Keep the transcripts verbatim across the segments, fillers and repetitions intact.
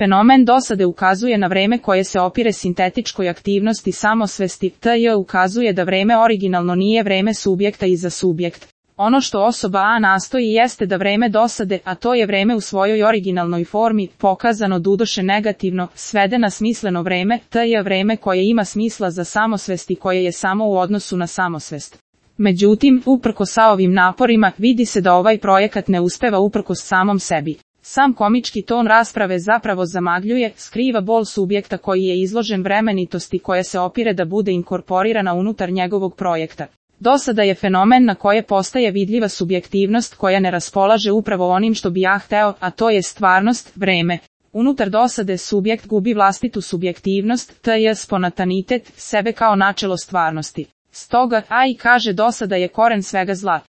Fenomen dosade ukazuje na vreme koje se opire sintetičkoj aktivnosti samosvesti, tj. ukazuje da vreme originalno nije vreme subjekta i za subjekt. Ono što osoba A nastoji jeste da vreme dosade, a to je vreme u svojoj originalnoj formi, pokazano dudoše negativno, svede na smisleno vreme, tj. vreme koje ima smisla za samosvest i koje je samo u odnosu na samosvest. Međutim, uprkos ovim naporima, vidi se da ovaj projekat ne uspeva uprkos samom sebi. Sam komički ton rasprave zapravo zamagljuje, skriva bol subjekta koji je izložen vremenitosti koja se opire da bude inkorporirana unutar njegovog projekta. Dosada je fenomen na koje postaje vidljiva subjektivnost koja ne raspolaže upravo onim što bi ja hteo, a to je stvarnost, vreme. Unutar dosade subjekt gubi vlastitu subjektivnost, tj. spontanitet, sebe kao načelo stvarnosti. Stoga, a i kaže dosada je koren svega zla.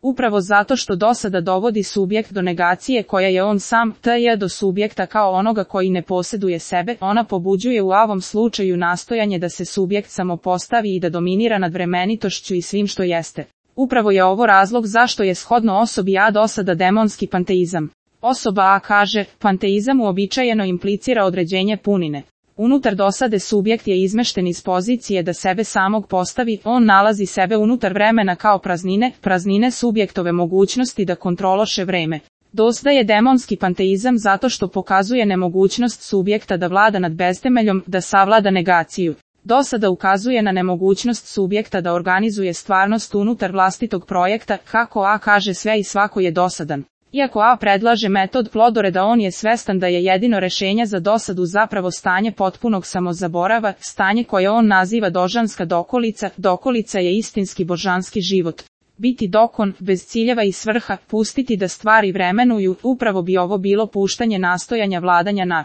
Upravo zato što dosada dovodi subjekt do negacije koja je on sam, tj. do subjekta kao onoga koji ne posjeduje sebe, ona pobuđuje u ovom slučaju nastojanje da se subjekt samo postavi i da dominira nad vremenitošću i svim što jeste. Upravo je ovo razlog zašto je shodno osobi A dosada demonski panteizam. Osoba A kaže, panteizam uobičajeno implicira određenje punine. Unutar dosade subjekt je izmešten iz pozicije da sebe samog postavi, on nalazi sebe unutar vremena kao praznine, praznine subjektove mogućnosti da kontrološe vreme. Dosada je demonski panteizam zato što pokazuje nemogućnost subjekta da vlada nad beztemeljom, da savlada negaciju. Dosada ukazuje na nemogućnost subjekta da organizuje stvarnost unutar vlastitog projekta, kako A kaže sve i svako je dosadan. Iako A predlaže metod plodoreda, on je svestan da je jedino rešenje za dosadu zapravo stanje potpunog samozaborava, stanje koje on naziva dožanska dokolica, dokolica je istinski božanski život. Biti dokon, bez ciljeva i svrha, pustiti da stvari vremenuju, upravo bi ovo bilo puštanje nastojanja vladanja na